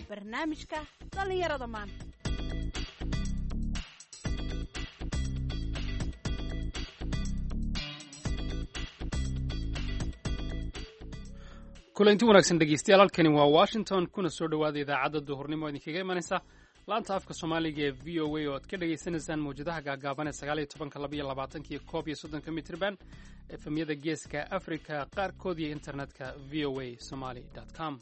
Barnaamijka dhallinyarada maanta. Kulanti wanaagsan dhegeystayaal, halkani waa Washington, kuna soo dhowaada idaacadda duhurnimo idinkaga imanaysa laanta afka Soomaaliga ee VOA, oo aad ka dhagaysanaysaan mawjadaha gaagaaban ee 19-ka, 22-ka iyo 31-ka mitrban, efemyada Geeska Africa qaarkood iyo internetka voasomali com.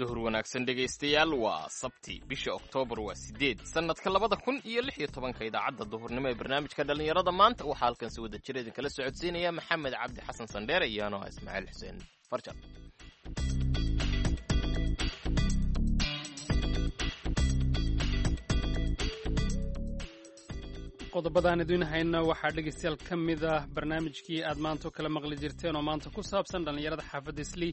Duhur wanaagsan dhegaystayaal, waa Sabti, bisha Oktoobar waa 8, sannadka 2016-ka. Idaacadda duhurnimo ee barnaamijka dhallinyarada maanta waxaa halkan si wada jira idinkala socodsiinaya Maxamed Cabdi Xasan Sandheere iyo anoo ah Ismaaciil Xuseen Farjar. Qodobadaan idiin hayna waxaa dhegaystayaal ka mid ah barnaamijkii aad maanta kala maqli jirteen, oo maanta ku saabsan dhallinyarada xaafadda Islii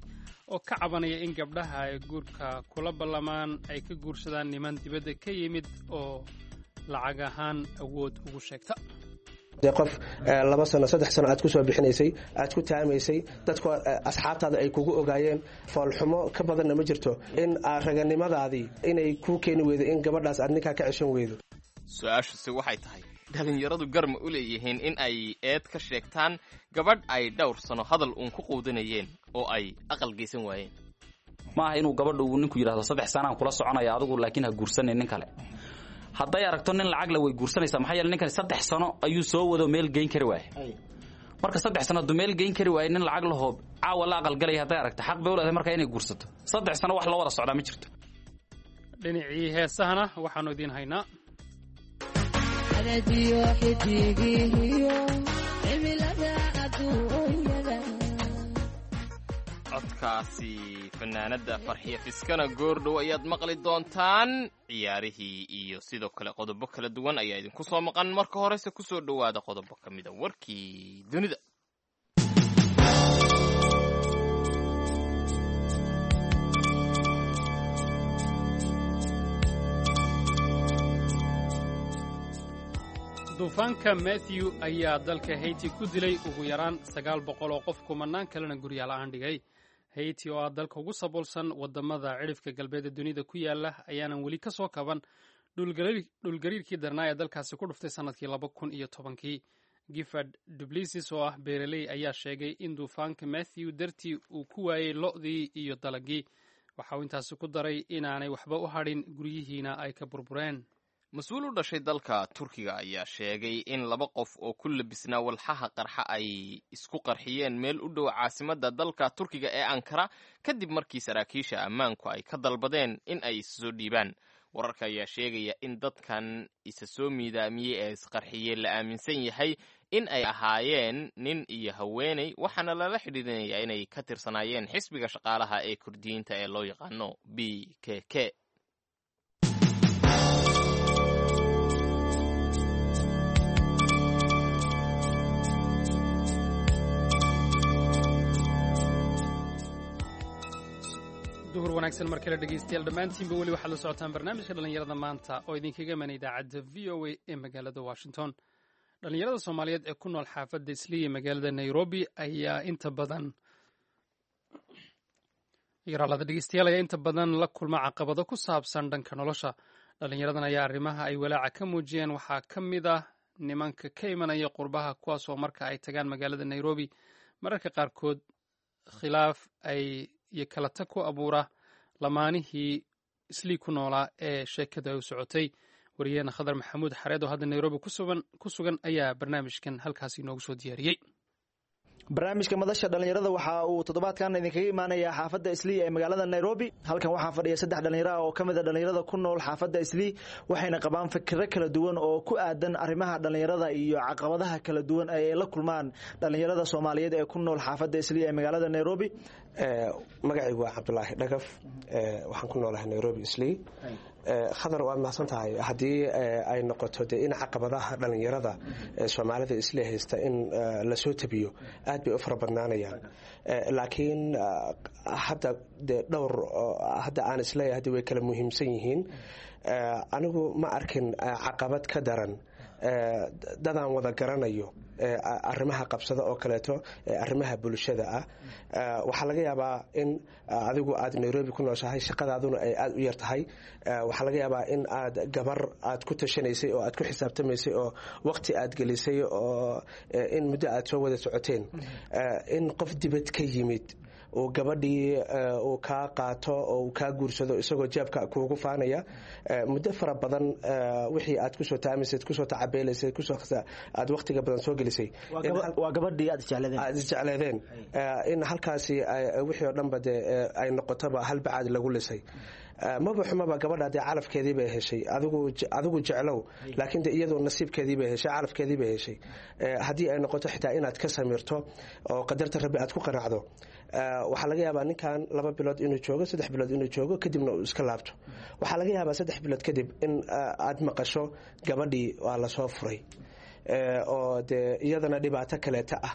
oo ka cabanaya in gabdhaha ay guurka kula ballamaan ay ka guursadaan niman dibadda ka yimid oo lacag ahaan awood ugu sheegta. Dee qof 2 sano, 3 sano aad ku soo bixinaysay, aad ku taamaysay, dadku asxaabtaada ay kugu ogaayeen, foolxumo ka badanna ma jirto in raganimadaadii inay kuu keeni weydo in gabadhaas aad ninkaa ka ceshan weydo. Su-aashuse waxay tahay, dhalinyaradu garma u leeyihiin in ay eed ka sheegtaan gabadh ay dhowr sano hadal uun ku quudinayeen oo ay aqal geysan waayeen? Ma aha inuu gabadha uu ninku yidhahdo 3 sanaan kula soconaya adigu, laakiin ha guursanin nin kale. Hadday aragto nin lacag le, way guursanaysaa. Maxaa yeele, ninkani 3 sano ayuu soo wado, meel geyn kari waaye. Marka 3 sano hadduu meel geyn kari waaye, nin lacag lahoo caawa la aqalgalaya hadday aragto, xaq bay u leedahay markaa inay guursato. 3 sano wax loo wada socdaa ma jirto. Dhinacii heesahana waxaanu idiin haynaa Codkaasi fanaanadda Farxiya Fiskana goordhow ayaad maqli doontaan. Ciyaarihii iyo sidoo kale qodobo kala duwan ayaa idinku soo maqan. Marka horese kusoo dhowaada qodobo ka mida warkii dunida. Duufaanka Matthew ayaa dalka Haiti ku dilay ugu yaraan 900 oo qof, kumanaan kalena guryaala-aan dhigay. Haiti oo ah dalka ugu saboolsan waddamada cidhifka galbeed ee dunida ku yaala ayaanan weli ka soo kaban dhulgariirkii darnaa ee dalkaasi ku dhuftay sannadkii 2010-kii. Gifford Dublisis oo ah beeraley ayaa sheegay in duufaanka Matthew dartii uu ku waayey lo'dii iyo dalagii. Waxa uu intaasi ku daray inaanay waxba u hadhin, guryihiina ay ka burbureen. Mas-uul u dhashay dalka Turkiga ayaa sheegay in laba qof oo ku labisnaa walxaha qarxa ay isku qarxiyeen meel u dhow caasimadda dalka Turkiga ee Ankara, kadib markii saraakiisha ammaanku ay ka dalbadeen in ay isa soo dhiibaan. Wararka ayaa sheegaya in dadkan isa soo miidaamiyey ee isqarxiyey la aaminsan yahay in ay ahaayeen nin iyo haweeney, waxaana lala xidhiidinayaa inay ka tirsanaayeen xisbiga shaqaalaha ee Kurdiyiinta ee loo yaqaano PKK. Duhur wanaagsan mar kale dhegeystayaal dhammaantiinba. Weli waxaad la socotaan barnaamijka dhallinyarada maanta oo idinkaga imanay idaacadda VOA ee magaalada Washington. Dhallinyarada Soomaaliyeed ee ku nool xaafadda Islii ee magaalada Nairobi ayaa inta badan yaraalada dhegeystayaal ayaa inta badan la kulma caqabado ku saabsan dhanka nolosha. Dhallinyaradan ayaa arrimaha ay walaaca ka muujiyeen waxaa ka mid ah nimanka ka imanaya qurbaha, kuwaas oo marka ay tagaan magaalada Nairobi mararka qaarkood khilaaf ay iyo kala tag ku abuura lamaanihii Islii ku noolaa ee sheekadu ay u socotay. Wariyaheena Khadar Maxamuud Xareed oo hadda Nairobi ku sugan ayaa barnaamijkan halkaasi inoogu soo diyaariyey. Barnaamijka madasha dhallinyarada waxa uu toddobaadkan idinkaga imaanayaa xaafadda Islii ee magaalada Nairobi. Halkan waxaa fadhiya saddex dhallinyaro ah oo ka mid a dhallinyarada ku nool xaafadda Islii, waxayna qabaan fikiro kala duwan oo ku aadan arrimaha dhallinyarada iyo caqabadaha kala duwan ee ay la kulmaan dhallinyarada Soomaaliyeed ee ku nool xaafadda Islii ee magaalada Nairobi. Magacaygu waa Cabdulaahi Dhagaf, waxaan ku noolahay Nairobi Islii. Khadar, waad mahadsan tahay. Haddii ay noqoto dee in caqabadaha dhallinyarada Soomaalida Islii haysta in lasoo tabiyo, aad bay u fara badnaanayaan, laakiin hadda dee dhowr hadda aan isleeyahay hadda way kala muhiimsan yihiin. Anigu ma arkin caqabad ka daran Dadaan wada garanayo arrimaha qabsada oo kaleeto, arrimaha bulshada ah, waxaa laga yaabaa in adigu aad Nairobi ku nooshahay, shaqadaaduna ay aada u yar tahay. Waxaa laga yaabaa in aad gabar aad ku tashanaysay oo aad ku xisaabtamaysay oo waqti aad gelisay oo in muddo aad soo wada socoteen, in qof dibad ka yimid uu gabadhii uu kaa qaato oo uu kaa guursado isagoo jeebka kuugu faanaya. Muddo fara badan wixii aad kusoo taamaysad, kusoo tacabeelaysay, kusoo aad waqtiga badan soo gelisay, waa gabadhii aad isjecleedeen, aad isjecleedeen, in halkaasi wixii oo dhanba dee ay noqotoba hal bacaad lagu lisay. Maba xumaba gabadha, dee calafkeedii bay heshay. Adigu jeclow, laakiin de iyadoo nasiibkeedii bay heshay, calafkeedii bay heshay. Haddii ay noqoto xitaa inaad ka samirto oo qadarta Rabbi aad ku qanacdo, waxaa laga yaabaa ninkan 2 bilood inuu joogo, 3 bilood inuu joogo, kadibna uu iska laabto. Waxaa laga yaabaa 3 bilood kadib in aad maqasho gabadhii waa lasoo furay, oo dee iyadana dhibaato kaleeta ah.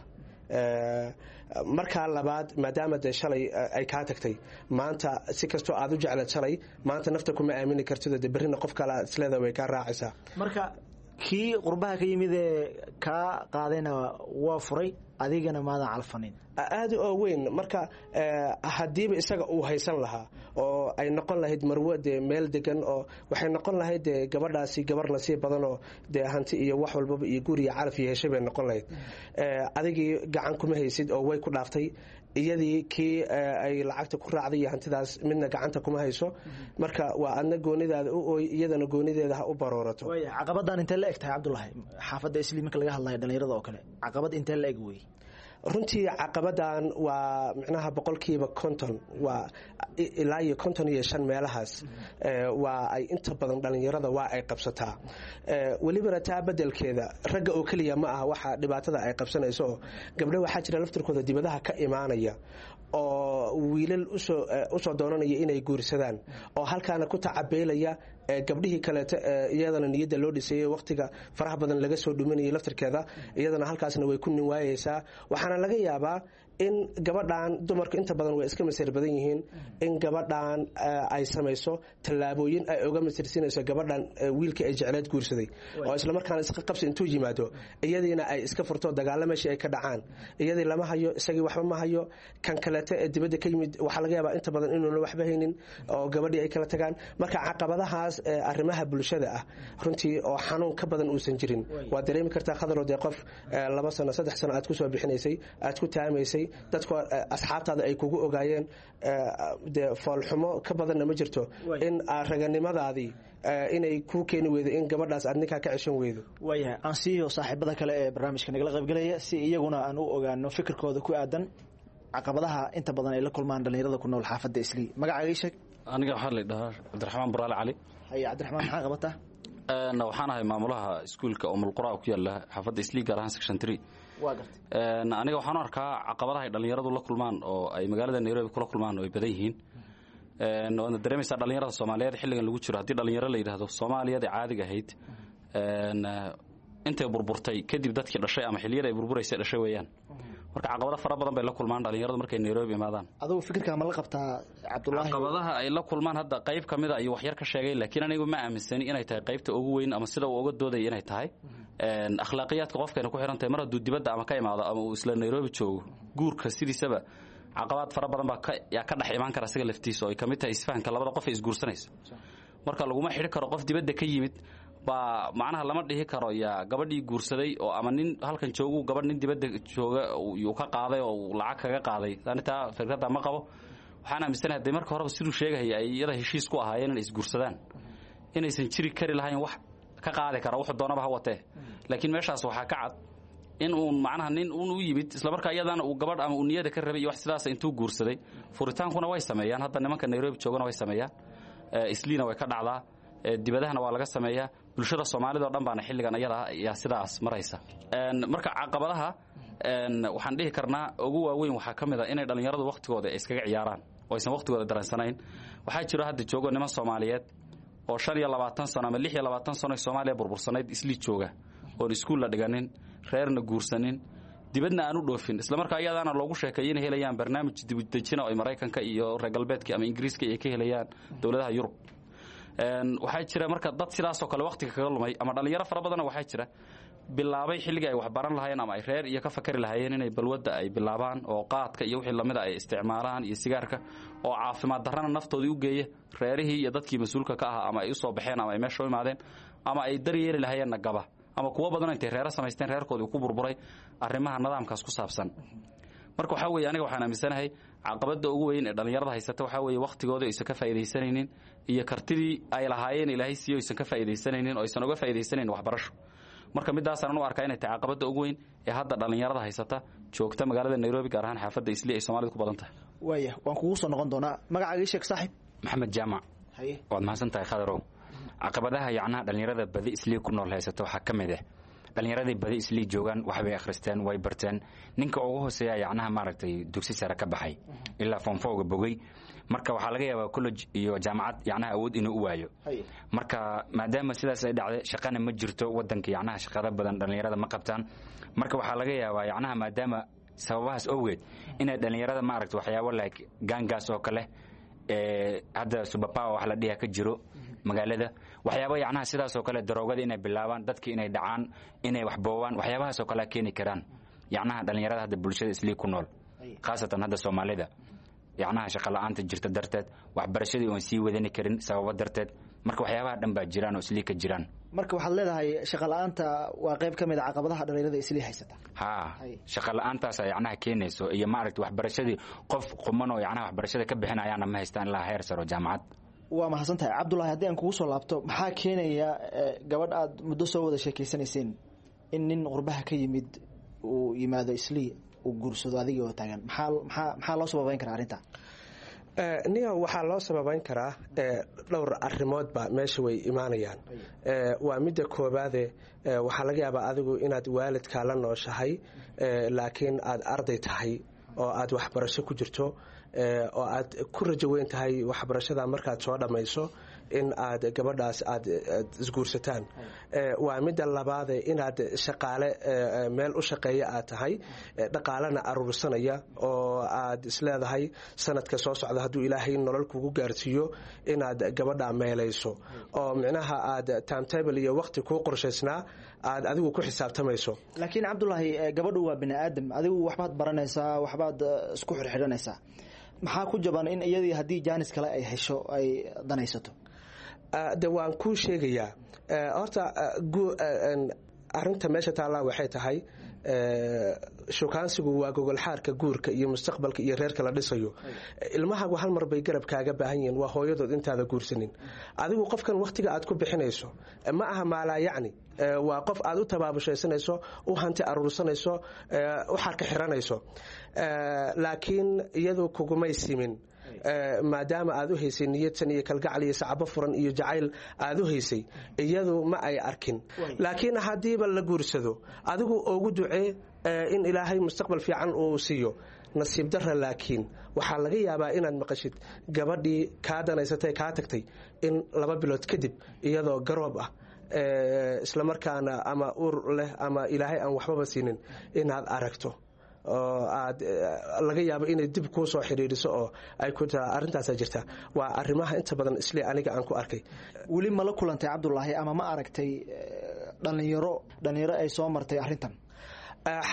Markaa labaad, maadaama dee shalay ay kaa tagtay, maanta si kastoo aad u jeclaed shalay, maanta nafta kuma aamini kartido, dee berrina qof kale isleeda way kaa raacaysaa. Marka kii qurbaha ka yimid ee kaa qaadayna waa furay, adigana maadan calfanin. Aada oo weyn. Marka haddiiba isaga uu haysan lahaa oo ay noqon lahayd marwo dee meel degan, oo waxay noqon lahayd dee gabadhaasi gabar nasiib badanoo dee hanti iyo wax walbaba iyo guri iyo calaf iyo heshay bay noqon lahayd. Adigii gacan kuma haysid oo way ku dhaaftay. Iyadii kii ay lacagta ku raacday iyo hantidaas midna gacanta kuma hayso. Marka waa adna goonidaada u ooy, iyadana goonideeda ha u baroorato. Caqabadan intee la eg tahay, Cabdulahi, xaafadda Isli marka laga hadlayo dhalinyarada oo kale, caqabad intee la eg wey? Runtii caqabadan waa micnaha 50% waa ilaa iyo 55 meelahaas waa ay inta badan dhalinyarada waa ay qabsataa. Welibana taa bedelkeeda ragga oo keliya ma aha waxa dhibaatada ay qabsanayso, oo gabdho waxaa jira laftirkooda dibadaha ka imaanaya oo wiilal usoo doonanaya inay guursadaan, oo halkaana ku tacabeelaya gabdhihii kaleeto iyadana niyadda loo dhisayey, waqtiga faraha badan laga soo dhuminayay laftirkeeda, iyadana halkaasna way ku nin waayeysaa. Waxaana laga yaabaa in gabadhan, dumarku inta badan way iska masir badan yihiin, in gabadhan ay samayso tallaabooyin ay uga masirsinayso gabadhan wiilka ay jecleed guursaday, oo islamarkaana iska qabsi intuu yimaado iyadiina ay iska furto, dagaalo meeshii ay ka dhacaan. Iyadii lama hayo, isagii waxba ma hayo. Kan kaleeto ee dibadda ka yimid waxaa laga yaabaa inta badan inuuna waxba haynin oo gabadhii ay kala tagaan. Marka caqabadahaas arrimaha bulshada ah runtii oo xanuun ka badan uusan jirin waa dareemi kartaa, Khadaro. Dee qof 2 sano, 3 sano aad kusoo bixinaysay, aad ku taamaysay, dadku asxaabtaada ay kugu ogaayeen, dee foolxumo ka badanna ma jirto in raganimadaadii inay kuu keeni weydo in gabadhaas aad ninkaa ka ceshan weydo. Waayahay, aan siiyo saaxiibada kale ee barnaamijka nagala qaybgelaya si iyaguna aan u ogaano fikirkooda ku aadan caqabadaha inta badan ay la kulmaan dhalinyarada ku nool xaafadda Islii. Magacaaga ii sheeg. Aniga waxaa la dhahaa Cabdiraxmaan Buraale Cali. Haye Cabdiraxmaan, maxaa qabataa? Waxaan ahay maamulaha iskuulka Umulqura ku yaala xaafadda Islii, gaar ahaan section 3. Waa gartay. Aniga waxaan u arkaa caqabadaha ay dhalinyaradu la kulmaan oo ay magaalada Nairobi kula kulmaan oo ay badan yihiin. Waadna dareemaysaa dhalinyarada Soomaaliyeed xilligan lagu jiro, haddii dhalinyaro la yidhaahdo, Soomaaliyada caadiga ahayd intay burburtay kadib dadkii dhashay ama xilliyada ay burburaysay dhashay weeyaan. Marka caqabado fara badan bay la kulmaan dhalinyaradu markay Nairobi imaadaan. Adigu fikirkaa ma la qabtaa, Cabdulaahi? Caqabadaha ay la kulmaan hadda qayb ka mida ayuu waxyar ka sheegay, laakiin anigu ma aaminsani inay tahay qaybta ugu weyn ama sida uu uga doodaya inay tahay. Akhlaaqiyaadka qofkayna ku xiran tahay mar hadduu dibadda ama ka imaado ama uu isla Nairobi joogo, guurka sidiisaba caqabaad fara badan baa yaa ka dhex imaan kara isaga laftiisa, oo ay ka mid tahay isfahanka labada qof ee isguursanaysa. Marka laguma xidhi karo qof dibadda ka yimid baa, macnaha lama dhihi karo yaa gabadhii guursaday oo ama nin halkan joogu gabadh nin dibadda jooga yuu ka qaaday oo uu lacag kaga qaaday. Ani taa fikradda ma qabo. Waxaan aaminsanahay hadday marka horeba siduu sheegahaya ay iyada heshiis ku ahaayeen inay isguursadaan, inaysan jiri kari lahayn wax ka qaadi kara wuxuu doonaba ha watee. Laakiin meeshaas waxaa ka cad in uun macnaha nin uun u yimid islamarkaa iyadana uu gabadh ama uu niyada ka rabay iyo wax sidaas intuu guursaday. Furitaankuna way sameeyaan hadda nimanka Nairobi joogana way sameeyaan, Isliina way ka dhacdaa, dibadahana waa laga sameeyaa. Bulshada Soomaalida oo dhan baana xilligan ayada ayaa sidaas maraysa. Marka caqabadaha waxaan dhihi karnaa ugu waaweyn waxaa ka mid a inay dhallinyaradu waqtigooda ay iskaga ciyaaraan oo aysan waqtigooda dareensanayn. Waxaa jiro hadda joogo niman Soomaaliyeed oo 25 sano ama 26 sano Soomaaliya burbursanayd Islii jooga, oon iskuul la dhiganin, reerna guursanin, dibadna aan u dhoofin, islamarkaa iyadaana loogu sheekeeyo inay helayaan barnaamij dibudejina oo ay Maraykanka iyo reer galbeedka ama Ingiriiska ay ka helayaan dowladaha Yurub. Waxaa jira marka dad sidaasoo kale wakhtiga kaga lumay, ama dhallinyaro fara badanna waxaa jira bilaabay xilligii ay wax baran lahaayeen ama ay reer iyo ka fakari lahaayeen inay balwadda ay bilaabaan oo qaadka iyo wixii lamida ay isticmaalaan iyo sigaarka, oo caafimaad darrana naftoodii u geeya, reerihii iyo dadkii mas-uulka ka ahaa ama ay u soo baxeen ama ay meesha u imaadeen ama ay daryeeli lahaayeenna gaba, ama kuwo badan intay reero samaysteen reerkoodii ku burburay arrimaha nidaamkaas ku saabsan. Marka waxaa weeye, aniga waxaan aaminsanahay caqabadda ugu weyn ee dhallinyarada haysata waxaa weeye wakhtigooda aysan ka faa'iidaysanaynin iyo kartidii ay lahaayeen Ilaahay siiyo aysan ka faa'iidaysanaynin oo aysan uga faa'iidaysanaynin waxbarasho. Marka midaasaan u arkaa inay tahay caqabadda ugu weyn ee hadda dhallinyarada haysata joogta magaalada Nairobi, gaar ahaan xaafadda Islii ay Soomaalidu ku badan tahay. Waaya, waan kugu soo noqon doonaa. Magacaaga ii sheeg, saaxib. Maxamed Jaamac. Haye. Waad mahadsan tahay, Khadarow. Caqabadaha yacnaha dhallinyarada badi Islii ku nool haysata waxaa ka mid ah dhallinyaradii badi Islii joogaan waxbay akhristeen, way barteen. Ninka ugu hooseeya yacnaha maaragtay dugsi sare ka baxay ilaa form four-ga bogay. Marka waxaa laga yaabaa college iyo jaamacad yacnaha awood inuu u waayo. Marka maadaama sidaas ay dhacday, shaqana ma jirto wadanka, yacnaha shaqada badan dhallinyarada ma qabtaan. Marka waxaa laga yaabaa yacnaha maadaama sababahaas awgeed inay dhallinyarada maaragtay waxyaabo like gangs oo kale ee hadda superpower wax la dhiha ka jiro magaalada, waxyaabo yacnaha sidaas oo kale, daroogada inay bilaabaan, dadki inay dhacaan, inay wax boobaan, waxyaabahaas oo kale keeni karaan yacnaha dhallinyarada hadda bulshada Islii ku nool, khaasatan hadda Soomaalida, yacnaha shaqa la'aanta jirta darteed, waxbarashadii oon sii wadani karin sababo darteed. Marka waxyaabaha dhan baa jiraan oo Islii ka jiraan. Marka waxaad leedahay shaqa la'aanta waa qayb ka mid a caqabadaha dhallinyarada Islii haysata. Haa, shaqa la'aantaasa yacnaha keenayso iyo maaragta waxbarashadii qof quman oo yacnaha waxbarashada ka bixinayaana ma haystaan ilaa heer saro jaamacad. Waa mahadsan tahay, Cabdullaahi. Haddii aan kugu soo laabto, maxaa keenaya gabadh aad muddo soo wada sheekeysanayseen in nin qurbaha ka yimid uu yimaado Islii, uu guursado adigii oo taagan? Maxaa loo sababeyn karaa arrinta? Niyo, waxaa loo sababeyn karaa dhowr arrimoodba meesha way imaanayaan. Waa midda koobaade, waxaa laga yaabaa adigu inaad waalidkaa la nooshahay, laakiin aad arday tahay oo aad waxbarasho ku jirto oo aad ku rajo weyn tahay waxbarashada markaad soo dhammayso in aad gabadhaas aad isguursataan. Waa midda labaade, inaad shaqaale meel u shaqeeya aad tahay, dhaqaalena aruursanaya, oo aad isleedahay sanadka soo socda hadduu Ilaahay nolol kugu gaarsiiyo inaad gabadha meelayso, oo micnaha aad timetable iyo waqti kuu qorshaysnaa aad adigu ku xisaabtamayso. Laakiin Cabdulaahi, gabadhu waa bini aadam. Adigu waxbaad baranaysaa, waxbaad isku xirxidhanaysaa. Maxaa ku jaban in iyadii haddii jaanis kale ay hesho ay danaysato? De waan kuu sheegayaa. Horta arinta meesha taallaa waxay tahay shukaansigu waa gogolxaarka guurka iyo mustaqbalka iyo reerka la dhisayo. Ilmahagu hal mar bay garab kaaga baahan yihiin, waa hooyadood intaada guursanin. Adigu qofkan wakhtiga aad ku bixinayso ma aha maalaa yacni, waa qof aad u tabaabushaysanayso, u hanti aruursanayso, u xarka xiranayso, laakiin iyadu kugumay simin. Maadaama aad u haysay niyadsan iyo kalgacal iyo sacabo furan iyo jacayl aad u haysay, iyadu ma ay arkin. Laakiin haddiiba la guursado, adigu ugu ducee in Ilaahay mustaqbal fiican uu siiyo. Nasiib dara laakiin waxaa laga yaabaa inaad maqashid gabadhii kaa danaysatay, kaa tagtay, in 2 bilood kadib iyadoo garoob ah, islamarkaana ama uur leh ama Ilaahay aan waxbaba siinin inaad aragto, oo aad laga yaabo inay dib kuu soo xidhiidhiso oo ay ku taa. Arrintaasa jirta, waa arrimaha inta badan isle aniga aan ku arkay. Weli ma la kulantay, Cabdulaahi, ama ma aragtay dhalinyaro ay soo martay arrintan?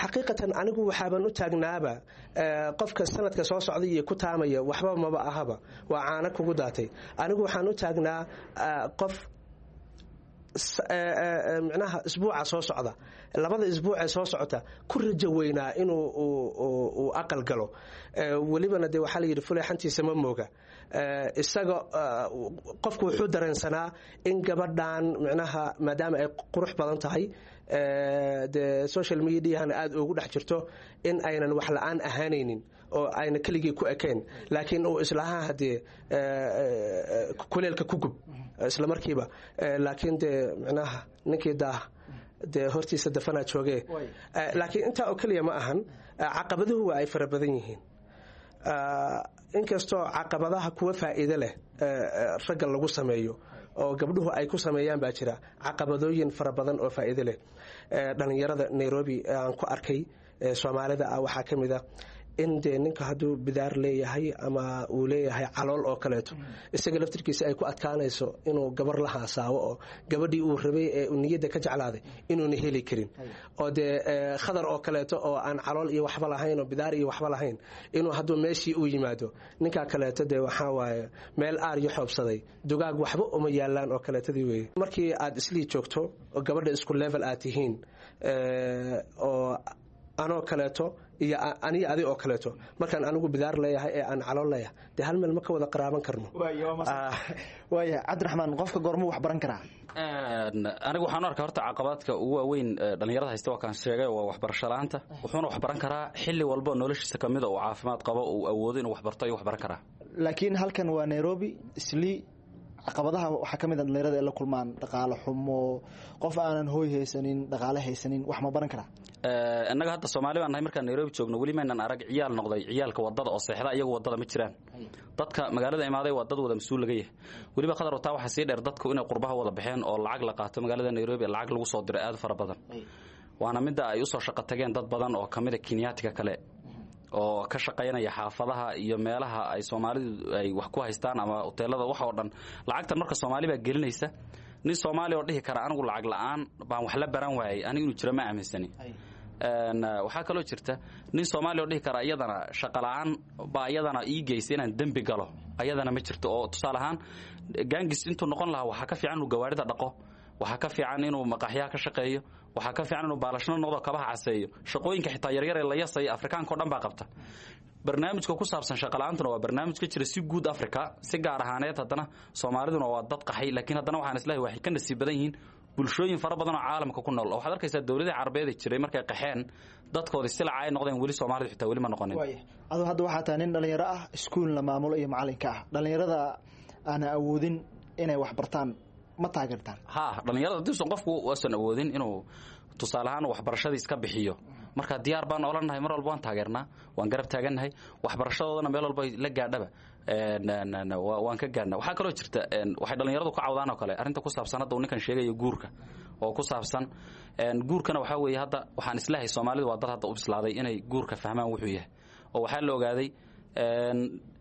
Xaqiiqatan anigu waxaaban u taagnaaba qofka sanadka soo socday iyo ku taamaya waxba maba ahaba, waa caano kugu daatay. Anigu waxaan u taagnaa qof micnaha isbuuca soo socda, labada isbuucee soo socota ku rajo weynaa inuu uu aqal galo. Welibana dee waxaa la yidhi fuleexantiisa ma mooga. Isaga qofku wuxuu dareensanaa in gabadhan micnaha maadaama ay qurux badan tahay, dee social mediahana aada ugu dhex jirto, in aynan wax la-aan ahaanaynin oo ayna keligii ku ekayn, laakiin uu islahaa hadee kuleelka ku gub isla markiiba. Laakiin dee micnaha ninkii daah dee hortiisa dafanaa joogee. Laakiin intaa oo keliya ma ahan, caqabaduhu waa ay fara badan yihiin, inkastoo caqabadaha kuwa faa'iido leh ragga lagu sameeyo oo gabdhuhu ay ku sameeyaan baa jira caqabadooyin fara badan oo faa'iido leh. Dhallinyarada Nairobi aan ku arkay Soomaalida ah waxaa ka mid a In dee ninka hadduu bidaar leeyahay ama uu leeyahay calool oo kaleeto, isaga laftirkiisa ay ku adkaanayso inuu gabar la haasaabo, oo gabadhii uu rabay ee uu niyadda ka jeclaaday inuuna heli karin, oo dee Khadar oo kaleeto oo aan calool iyo waxba lahayn oo bidaar iyo waxba lahayn, inuu hadduu meeshii uu yimaado ninkaa kaleeto, dee waxaa waaye meel aar iyo xoobsaday dugaag waxba uma yaalaan oo kaleetadii weeye. Markii aad Islii joogto oo gabadha isku level aad tihiin, oo anoo kaleeto iyo aniyo adi oo kaleeto, markaan anigu bidaar leeyahay ee aan calool leeyahay, dee hal meel ma ka wada qaraaban karno. Waaya, Cabdiraxmaan, qofka goormuu wax baran karaa? Anigu waxaan u arkaa horta caqabadka ugu waaweyn dhalinyarada haysta waa kaan sheegay, waa waxbarasho la'aanta. Wuxuuna wax baran karaa xilli walba noloshiisa kamid a uu caafimaad qabo, uu awoodo inuu wax barto ayuu wax baran karaa. Laakiin halkan waa Nairobi, Islii, caqabadaha waxaa ka mid a dhalinyarada ay la kulmaan dhaqaale xumo. Qof aanan hooy haysanin, dhaqaale haysanin, wax ma baran karaa? Innaga hadda Soomaali baan nahay. Markaan Nairobi joogno weli maynan arag ciyaal noqday ciyaalka wadada oo seexda. Iyagu wadada ma jiraan. Dadka magaalada imaaday waa dad wada mas-uul laga yahay. Weliba, Khadar, wataa waxaa sii dheer dadku inay qurbaha wada baxeen oo lacag la qaato, magaalada Nairobi lacag lagu soo diray aad fara badan, waana midda ay usoo shaqo tageen dad badan oo kamida Kenyaatiga kale oo ka shaqaynaya xaafadaha iyo meelaha ay Soomaalidu ay wax ku haystaan ama hoteelada, wax oo dhan. Lacagtan marka Soomaali baa gelinaysa. Nin Soomaali oo dhihi kara anigu lacag la'aan baan wax la baran waayay, anigu inuu jiro ma aaminsani. Waxaa kaloo jirta nin Soomaali oo dhihi kara iyadana shaqa la'aan baa iyadana ii geysa inaan dembi galo, ayadana ma jirto. Oo tusaale ahaan gangis intuu noqon lahaa, waxaa ka fiican inuu gawaarida dhaqo, waxaa ka fiican inuu maqaaxyaha ka shaqeeyo, waxaa ka fiican inuu baalashno noqdo, kabaha caseeyo. Shaqooyinka xitaa yaryar ee la yasaya Afrikaanka o dhan baa qabta. Barnaamijka ku saabsan shaqala-aantuna waa barnaamij ka jira si guud Africa, si gaar ahaaneed haddana Soomaaliduna waa dad qaxay, laakiin haddana waxaan islahay waxay ka nasiib badan yihiin bulshooyin fara badan oo caalamka ku nool. Oo waxaad arkaysaa dowladihii Carabeed ee jiray markay qaxeen dadkoodii silaca ay noqdeen, weli Soomaalidu xitaa weli ma noqonin. Adu hadda waxaa tahay nin dhalinyaro ah, iskuulna maamulo iyo macalinka ah. Dhalinyarada aana awoodin inay wax bartaan ma taageertaan? Ha, dhalinyarada haddiisan qofku uusan awoodin inuu tusaale ahaan waxbarashadii iska bixiyo, marka diyaar baan olanahay, mar walba waan taageernaa, waan garab taagannahay waxbarashadoodana. Meel walba la gaadhaba waan ka gaadhna. Waxaa kaloo jirta waxay dhalinyaradu ka cawdaan oo kale arrinta ku saabsan hadda uu ninkan sheegayo guurka, oo ku saabsan guurkana waxaa weeye hadda waxaan islahay Soomaalidu waa dad hadda u bislaaday inay guurka fahmaan wuxuu yahay, oo waxaa la ogaaday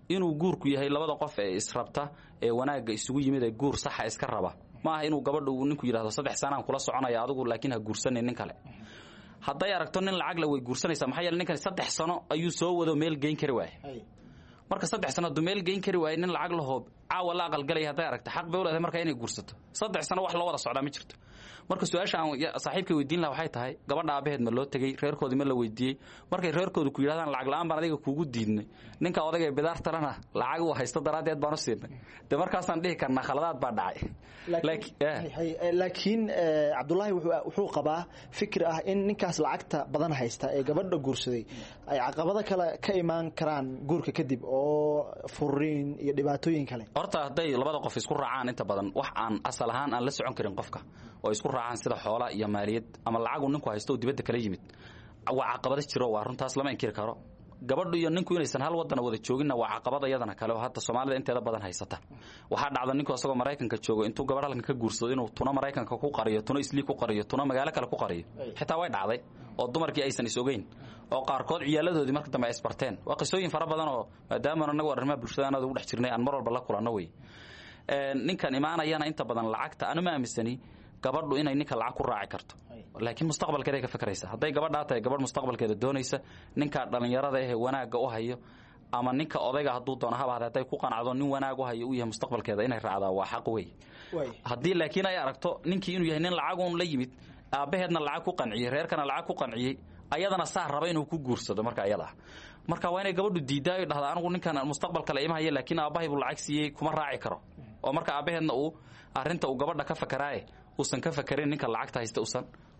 inuu guurku yahay labada qof ee israbta ee wanaagga isugu yimid ee guur saxa iska raba. Ma aha inuu gabadha uu ninku yidhahdo 3 sanaan kula soconaya adigu, laakiin ha guursanin nin kale. Hadday aragto nin lacag le way guursanaysaa. Maxaa yeele ninkan 3 sano ayuu soo wado, meel geyn kari waaye. Marka 3 sano hadduu meel geyn kari waaye, nin lacag lahoo caawa la aqalgalaya hadday aragto, xaq bay u leedahay marka inay guursato. 3 sano wax loo wada socdaa ma jirto. Marka su-aasha aan saaxiibkay weydiin laha waxay tahay: gabadha aabaheed ma loo tegey? Reerkoodii ma la weydiiyey? Markay reerkoodu ku yidhahdaan lacag la'aan baan adiga kuugu diidnay, ninka odayga bidaartalana lacag uu haysto daraaddeed baan u siinay, dee markaasaan dhihi karnaa khaladaad baa dhacay. Laakiin Cabdullaahi wuxuu qabaa fikir ah in ninkaas lacagta badan haysta ee gabadha guursaday ay caqabado kale ka imaan karaan guurka kadib, oo furiin iyo dhibaatooyin kale. Horta hadday labada qof isku raacaan, inta badan wax aan asal ahaan aan la socon karin qofka oo isku raacaan, sida xoola iyo maaliyad ama lacagu ninku haysto oo dibadda kala yimid, waa caqabado jiro, waa runtaas, lama inkiri karo. Gabadhu iyo ninku inaysan hal wadana wada jooginna waa caqabad iyadana kale oo hadda Soomaalida inteeda badan haysata. Waxaa dhacda ninku asagoo Maraykanka joogo intuu gabadh halkan ka guursado inuu tuna Maraykanka ku qariyo, tuna Islii ku qariyo, tuna magaalo kale ku qariyo. Xitaa way dhacday oo dumarkii aysan is ogeyn oo qaarkood ciyaaladoodii marka dambe ay isbarteen. Waa qisooyin fara badan oo maadaama anagu arrimaha bulshada aan ugu dhex jirnay aan mar walba la kulanno wey. Ninkan imaanayana inta badan lacagta anu ma aaminsani gabadhu inay ninka lacag ku raaci karto, laakiin mustaqbalkeeday ka fakaraysa. Hadday gabadhaa tahay gabadh mustaqbalkeeda doonaysa, ninka dhallinyarada ahee wanaagga u hayo ama ninka odayga hadduu doono haba hadday ku qanacdo nin wanaag u hayo u yahay mustaqbalkeeda, inay raacdaa waa xaq wey. Haddii laakiin ay aragto ninkii inuu yahay nin lacaguun la yimid, aabbaheedna lacag ku qanciyey, reerkana lacag ku qanciyey, ayadana saa raba inuu ku guursado, marka ayada ah marka waa inay gabadhu diidaa oy dhahda anigu ninkan mustaqbalka la ima haya, laakiin aabbahay buu lacag siiyey, kuma raaci karo. Oo marka aabbaheedna uu arrinta uu gabadha ka fakaraaye uusan ka fakarin ninka lacagta haysta,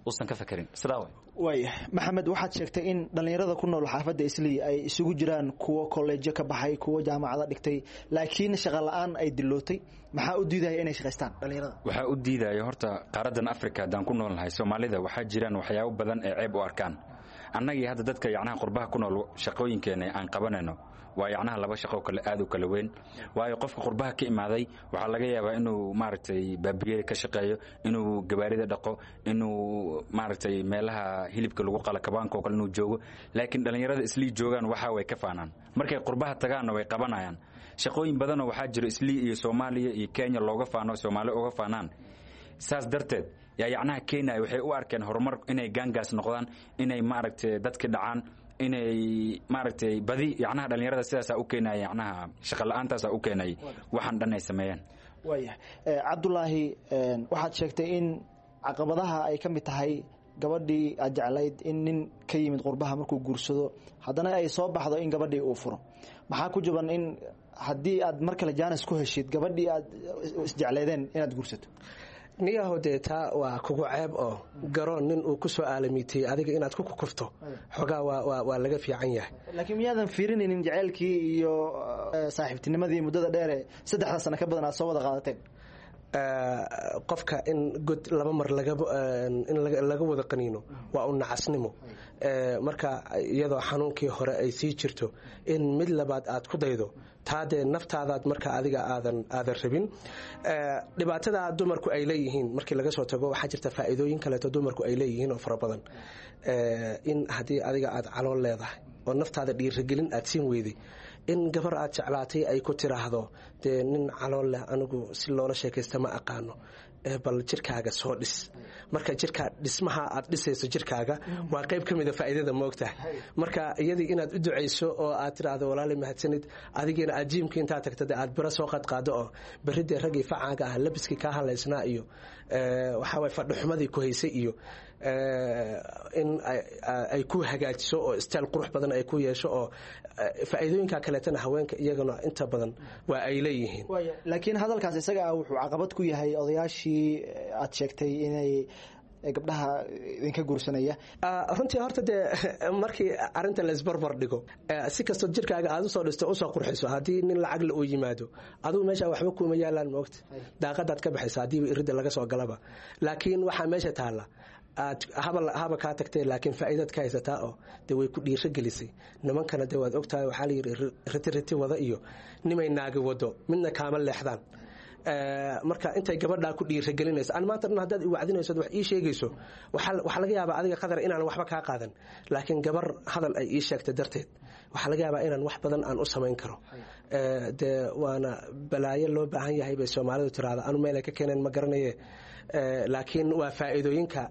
uusan ka fakarin sidaa way. Waaya, Maxamed, waxaad sheegtay in dhallinyarada ku nool xaafadda Islii ay isugu jiraan kuwo kolleejyo ka baxay, kuwo jaamacado dhigtay, laakiin shaqa la'aan ay dilootay. Maxaa u diidaya inay shaqaystaan dhallinyarada? Waxaa u diidaya horta qaaraddan Africa haddaan ku noolnahay, Soomaalida waxaa jiraan waxyaabo badan ee ceeb u arkaan. Annagii hadda dadka yacnaha qurbaha ku nool, shaqooyinkeena aan qabanayno waa yacnaha laba shaqo kale aad u kala weyn, waayo qofka qurbaha ka imaaday waxaa laga yaabaa inuu maaragtay baabiyeeri ka shaqeeyo, inuu gawaarida dhaqo, inuu maaragtay meelaha hilibka lagu qala, kabaanka oo kale inuu joogo. Laakiin dhallinyarada Islii joogaan waxa way ka faanaan, markay qurbaha tagaanna way qabanayaan shaqooyin badanoo waxaa jiro Islii iyo Soomaaliya iyo Kenya looga faano, Soomaali uga faanaan. Saas darteed yaa yacnaha Kenya waxay u arkeen horumar inay gaangaas noqdaan, inay maaragtay dadki dhacaan, inay maaragtay badi yacnaha dhallinyarada sidaasaa u keenaya, yacnaha shaqo la-aantaasaa u keenay waxaan dhan ay sameeyeen. Waayahay, Cabdulaahi, waxaad sheegtay in caqabadaha ay ka mid tahay gabadhii aad jeclayd in nin ka yimid qurbaha markuu guursado, haddana ay soo baxdo in gabadhii uu furo. Maxaa ku jaban in haddii aad mar kale jaanis ku heshid gabadhii aad isjecleedeen inaad guursato? Niyahow, dee taa waa kugu ceeb oo garoon nin uu ku soo aalamiitay adiga inaad ku kukufto xoogaa waa laga fiican yahay. Laakiin miyaadan fiirinaynin jaceylkii iyo saaxiibtinimadii muddada dheere, 3da sano ka badan aad soo wada qaadateen? Qofka in god laba mar in laga wada qaniino waa u nacasnimo. Marka iyadoo xanuunkii hore ay sii jirto in mid labaad aad ku daydo, taa dee naftaadaad marka adiga aadan rabin. Dhibaatada dumarku ay leeyihiin markii laga soo tago, waxaa jirta faa'iidooyin kaleeto dumarku ay leeyihiin oo fara badan. In haddii adiga aad calool leedahay oo naftaada dhiirigelin aad siin weyday, in gabar aad jeclaatay ay ku tiraahdo, "Dee nin calool leh anigu si loola sheekaysta ma aqaano, bal jirkaaga soo dhis." Marka jirkaa dhismaha aad dhisayso jirkaaga waa qayb ka mida faa'iidada, moogtahay. Marka iyadii inaad u ducayso oo aad tiraahdo, "Walaali, mahadsanid," adigiina aad gymka intaad tagto dee aad biro soo qadqaado oo berridee raggii facaaga ah labiskii kaa halaysnaa iyo waxaa waye fadhixumadii ku haysay iyo in ay ku hagaajiso oo style qurux badan ay ku yeesho, oo faa'iidooyinka kaleetana haweenka iyagana inta badan waa ay leeyihiin. Laakiin hadalkaas isaga ah wuxuu caqabad ku yahay odayaashii aad sheegtay inay gabdhaha idinka guursanaya. Runtii horta dee markii arinta la isbarbar dhigo, si kastoo jirkaaga aad usoo dhisto, usoo qurxiso, haddii nin lacagle uu yimaado, adigu meesha waxba kuuma yaalaan, moogta, daaqadaad ka baxaysa haddiiba iridda laga soo galaba. Laakiin waxaa meesha taalla aad haba kaa tagtay, laakiin faa'iidaad ka haysataa oo dee way ku dhiiro gelisay. Nimankana dee waad ogtahay, waxaa la yidhi riti riti wada iyo nimay naagi wado midna kaama leexdaan. Marka intay gabadhaa ku dhiiragelinayso, an maanta dhan haddaad iwacdinayso, wax ii sheegayso, waxaa laga yaabaa adiga qadar inaan waxba kaa qaadan, laakiin gabar hadal ay ii sheegtay darteed waxaa laga yaabaa inaan wax badan aan u samayn karo. Dee waana balaayo loo baahan yahay bay Soomaalidu tiraahda, anu meel ay ka keeneen ma garanaye, laakiin waa faa'iidooyinka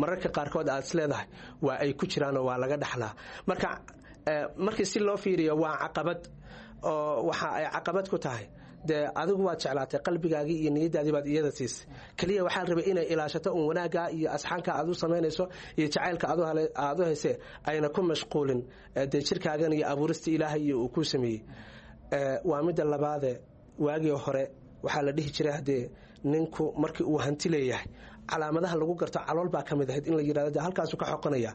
mararka qaarkood aad is leedahay waa ay ku jiraanoo waa laga dhaxlaa. Marka markii si loo fiiriyo waa caqabad, oo waxa ay caqabad ku tahay dee adigu waad jeclaatay, qalbigaagii iyo niyadaadii baad iyada siisay. Keliya waxaa la rabay inay ilaashato un wanaaggaa iyo asxaanka aad u samaynayso iyo jacaylka aad u haysee, ayna ku mashquulin dee jirkaagan iyo abuurista Ilaahay iyo uu ku sameeyey. Waa midda labaade, waagii hore waxaa la dhihi jiray haddee ninku markii uu hanti leeyahay calaamadaha lagu garto calool baa ka mid ahayd, in la yidhahdo dee halkaasuu ka xoqonaya.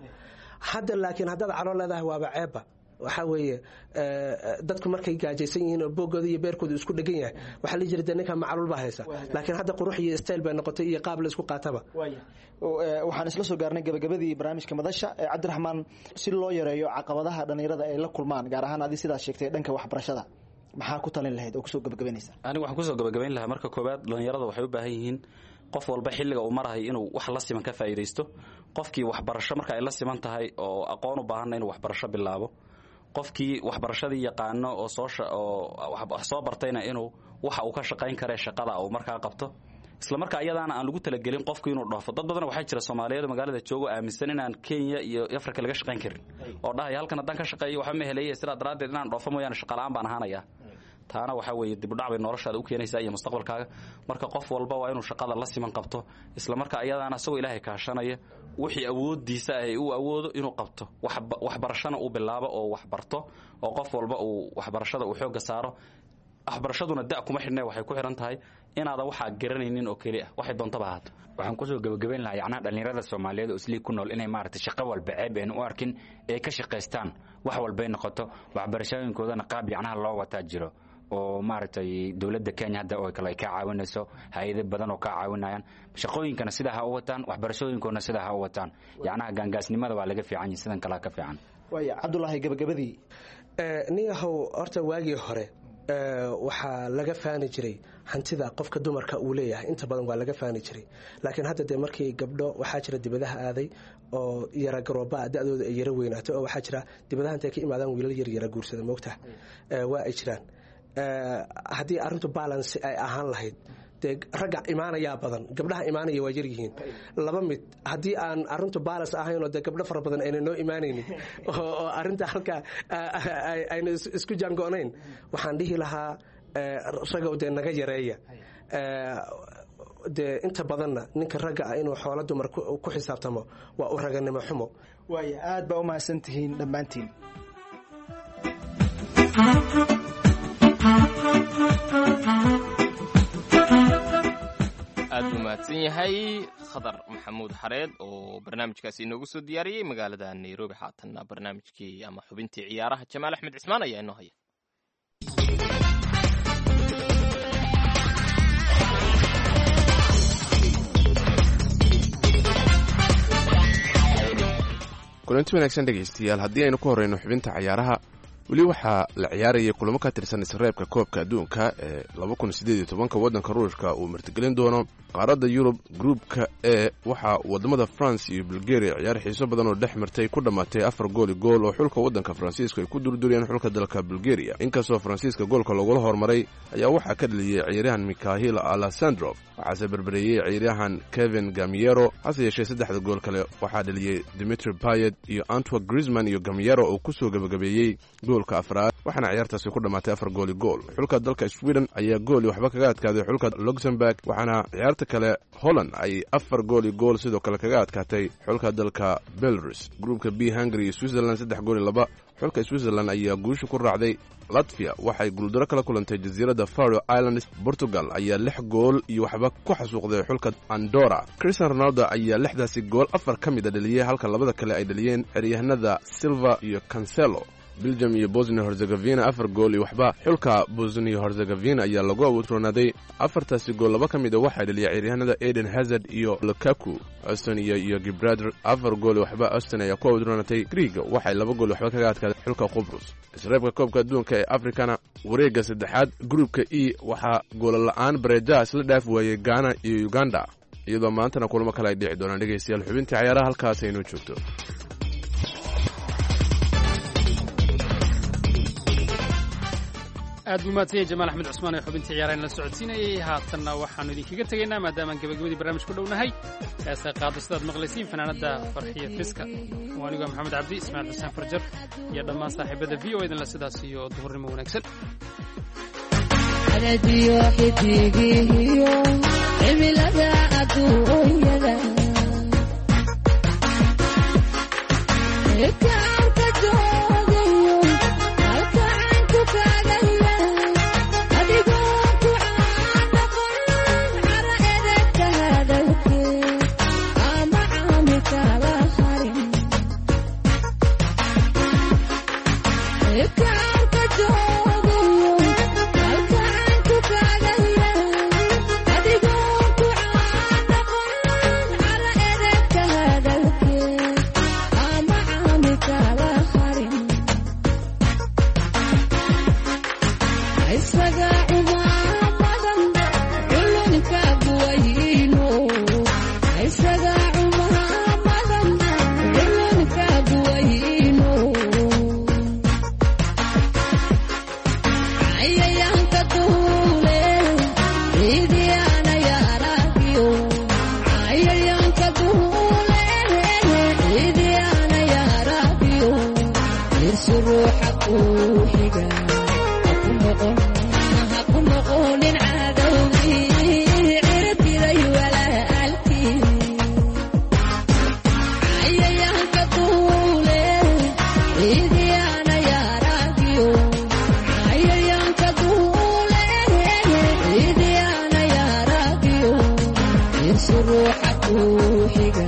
Hadda laakiin haddaad calool leedahay waaba ceebba. Waxaa weeye dadku markay gaajaysan yihiin oo boogooda iyo beerkooda isku dhegan yahay, waxaa la jira dee ninka macluul baa haysa, laakiin hadda qurux iyo style bay noqotay iyo qaab la isku qaataba. Waxaan isla soo gaarnay gabagabadii barnaamijka madasha. Cabdiraxmaan, si loo yareeyo caqabadaha dhallinyarada ay la kulmaan, gaar ahaan adi sidaad sheegtay dhanka waxbarashada, maxaa ku talin lahayd oo kusoo gabagabaynaysa? Anigu waxaan kusoo gabagabayn lahaa, marka koowaad dhallinyarada waxay u baahan yihiin qof walba xilliga uu marahay inuu wax la siman ka faa'iidaysto. Qofkii waxbarasho marka ay la siman tahay oo aqoon u baahanna inuu waxbarasho bilaabo, qofkii waxbarashadii yaqaano oo soo oo wax soo bartayna inuu waxa uu ka shaqayn karee shaqada uu markaa qabto, isla markaa iyadaana aan lagu talagelin qofku inuu dhoofo. Dad badan waxaa jira Soomaaliyeed magaalada joogo aaminsan inaan Kenya iyo Afrika laga shaqayn karin, oo dhahaya, "Halkan haddaan ka shaqeeyo waxba ma helaya, sidaa daraaddeed inaan dhoofo mooyaane shaqala'aan baan ahaanaya." Taana waxaa weeye dibudhac bay noloshaada u keenaysaa iyo mustaqbalkaaga. Marka qof walba waa inuu shaqada la siman qabto, isla markaa iyadaana isagoo Ilaahay kaashanaya wixii awooddiisa ah uu awoodo inuu qabto, waxbarashana uu bilaabo oo wax barto, oo qof walba uu waxbarashada uu xoogga saaro. Waxbarashaduna da kuma xidhne, waxay ku xidhan tahay inaadan waxaa garanaynin oo keli ah, waxay doontaba ahaato. Waxaan kusoo gabagabayn lahaa yacnaha dhallinyarada Soomaaliyeed oo Islii ku nool inay maaragtay shaqo walba ceeb ayna u arkin, ee ka shaqaystaan wax walbay noqoto, waxbarashooyinkoodana qaab yacnaha loo wataa jiro. Oo maaragtay dowladda Kenya hadda oo kale ay kaa caawinayso, hay-ado badan oo kaa caawinayaan. Shaqooyinkana sidaa ha u wataan, waxbarashooyinkoona sidaa ha u wataan. Yacnaha gaangaasnimada waa laga fiican yahay, sidan kalea ka fiican. Waaya, Cabdulaahi, gabagabadii. Nin yahow, horta waagii hore waxaa laga faani jiray hantida qofka dumarka uu leeyahay, inta badan waa laga faani jiray. Laakiin hadda dee markii gabdho waxaa jira dibadaha aaday oo yara garoobaa, da-dooda ay yara weynaato, oo waxaa jira dibadaha intay ka imaadaan wiilal yar yara guursada, moogta waa ay jiraan. Haddii arrintu balance ay ahaan lahayd, dee ragga imaanayaa badan, gabdhaha imaanaya waa yaryihiin. Laba mid, haddii aan arrintu balance ahayn oo dee gabdho fara badan ayna noo imaanaynin oo arrinta halka ayna isku jaango-nayn, waxaan dhihi lahaa ragow dee naga yareeya. Dee inta badanna ninka ragga ah inuu xoolo dumar ku xisaabtamo waa u raganimo xumo. Waaya, aad baa u mahadsan tihiin dhammaantiin. Aad buu mahadsan yahay Khadar Maxamuud Xareed oo barnaamijkaasi inoogu soo diyaariyey magaalada Nairobi. Haatanna barnaamijkii ama xubintii ciyaaraha, Jamaal Axmed Cismaan ayaa inoo haya. Kulanti wanaagsan, dhegaystayaal. Haddii aynu ku horreyno xubinta cayaaraha, weli waxaa la ciyaarayay kulamo ka tirsan isreebka koobka adduunka ee 2018-ka waddanka Ruushka uu martigelin doono. Qaaradda Yurub, gruubka E, waxaa waddamada France iyo Bulgaria ciyaar xiiso badan oo dhex martay ku dhammaatay 4 gool iyo gool, oo xulka waddanka Faransiiska ay ku durduriyeen xulka dalka Bulgaria. Inkastoo Faransiiska goolka loogula hormaray, ayaa waxaa ka dhaliyey ciyaaryahan Mikhail Alessandrov, waxaase berbereeyey ciyaaryahan Kevin Gamiero. Hase yeeshee saddexda gool kale waxaa dhaliyey Dimitri Payet iyo Antoine Griezmann iyo Gamiero oo kusoo gebagabeeyey goolka afraad, waxaana ciyaartaasi ku dhammaatay 4 gool iyo gool. Xulka dalka Sweden ayaa gool iyo waxba kaga adkaaday xulka Luxemburg, waxaana ciyaarta kale Holland ay 4 gool iyo gool sidoo kale kaga adkaatay xulka dalka Belarus. Gruubka B, Hungary iyo Switzerland, 3 gool iyo 2 xulka Switzerland ayaa guusha ku raacday. Latvia waxay guuldaro kala kulantay jasiiradda Faroe Islands. Portugal ayaa 6 gool iyo waxba ku xasuuqday xulka Andora. Cristiano Ronaldo ayaa lixdaasi gool afar ka mid a dhaliyey, halka labada kale ay dhaliyeen xeryahanada Silva iyo Cancelo. Belgium iyo Bosnia Herzegovina, 4 gool iyo waxba xulka Bosnia Herzegovina ayaa lagu awoodroonaaday. Afartaasi gool laba ka mid a waxaa dhaliyay ciyaaryahanada Eden Hazard iyo Lukaku. Estonia iyo Gibraltar, 4 gool iyo waxba Estonia ayaa ku awoodroonatay. Griiga waxay 2 gool waxba kaga adkaaday xulka Qubrus. Isreebka koobka adduunka ee Afrikana, wareegga saddexaad, gruubka E, waxaa goola la-aan bareejaha isla dhaaf waayey Ghana iyo Uganda, iyadoo maantana kulamo kale ay dhici doonaan. Dhegaystayaal, xubintii cayaaraha halkaas aynoo joogto. Aad buu mahadsan yahay Jamaal Axmed Cusmaan ee xubintii ciyaarahan la socodsiinayay. Haatanna waxaannu idinkaga tegaynaa, maadaamaan gabagabadii barnaamij ku dhownahay, heesa qaado sidaad maqlaysiin fanaanadda Farxiya Fiska. Waa anigu Maxamed Cabdi, Ismaaciil Xuseen Farjar iyo dhammaan saaxiibada VOA idinla sidaas iyo duhurnimo wanaagsan. Xidigihiyo cimilada adduunyada kaarka joogayo halkaanku kaagaya adigoo ku caadaqon cara edegta hadalkee ama caami kala harin kaarka joogayo halkaanku kaagaya adigoo ku caadaqon cara edegta hadalkee ama caami kala harin isaga cumaamadan culunka buwayno isaga cumaamadan culunka buwayno cayayaanka duule ciidiyaana yaaragiyo cayayaanka duule ciidiyaana yaaragiyo irsu ruuxa kuu xiga haku noqonin cadowgii cirtiday walaalkii cayayaanka duule ciidiyaana yaaragiyo cayayaanka duule ciidiyaana yaaragiyo irsu ruuxa kuu xiga.